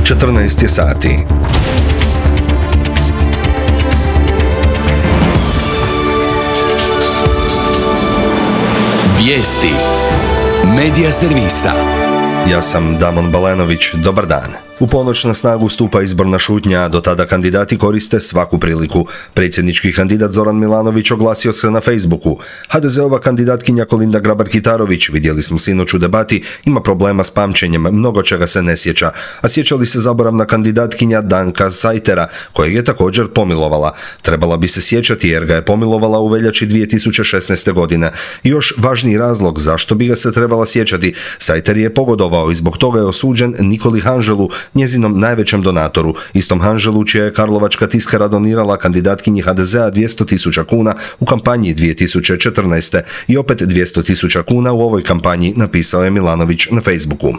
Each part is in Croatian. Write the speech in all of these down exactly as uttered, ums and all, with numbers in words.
četrnaest je sati. Vijesti Medija servisa. Ja sam Damon Balenović, dobar dan. U ponoć na snagu stupa izborna šutnja, a do tada kandidati koriste svaku priliku. Predsjednički kandidat Zoran Milanović oglasio se na Facebooku. ha de zeova kandidatkinja Kolinda Grabar-Kitarović, vidjeli smo sinoć u debati, ima problema s pamćenjem, mnogo čega se ne sjeća. A sjeća li se zaboravna kandidatkinja Danka Sajtera, kojeg je također pomilovala. Trebala bi se sjećati jer ga je pomilovala u veljači dvije tisuće šesnaeste. godine. I još važniji razlog zašto bi ga se trebala sjećati. Sajter je pogodovao i zbog toga je osuđen Nikoli Hanželu, njezinom najvećem donatoru, istom Hanželu čija je Karlovačka tiskara donirala kandidatkinji ha de zea dvjesto tisuća kuna u kampanji dvije tisuće četrnaeste. i opet dvjesto tisuća kuna u ovoj kampanji, napisao je Milanović na Facebooku.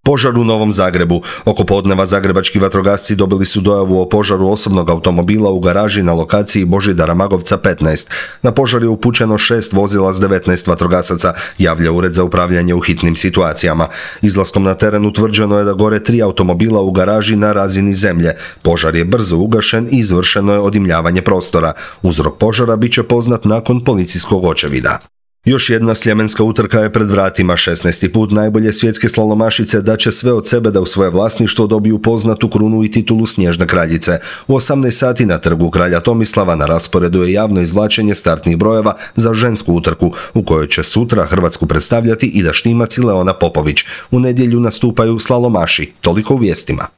Požar u Novom Zagrebu. Oko podneva zagrebački vatrogasci dobili su dojavu o požaru osobnog automobila u garaži na lokaciji Božidara Magovca petnaest. Na požar je upućeno šest vozila s devetnaest vatrogasaca, javlja Ured za upravljanje u hitnim situacijama. Izlaskom na teren utvrđeno je da gore tri automobila u garaži na razini zemlje. Požar je brzo ugašen i izvršeno je odimljavanje prostora. Uzrok požara bit će poznat nakon policijskog očevida. Još jedna sljemenska utrka je pred vratima. šesnaesti put najbolje svjetske slalomašice daće sve od sebe da u svoje vlasništvo dobiju poznatu krunu i titulu Snježne kraljice. U osamnaest sati na trgu kralja Tomislava na rasporedu je javno izvlačenje startnih brojeva za žensku utrku, u kojoj će sutra Hrvatsku predstavljati Ida Štimac i Leona Popović. U nedjelju nastupaju slalomaši. Toliko u vijestima.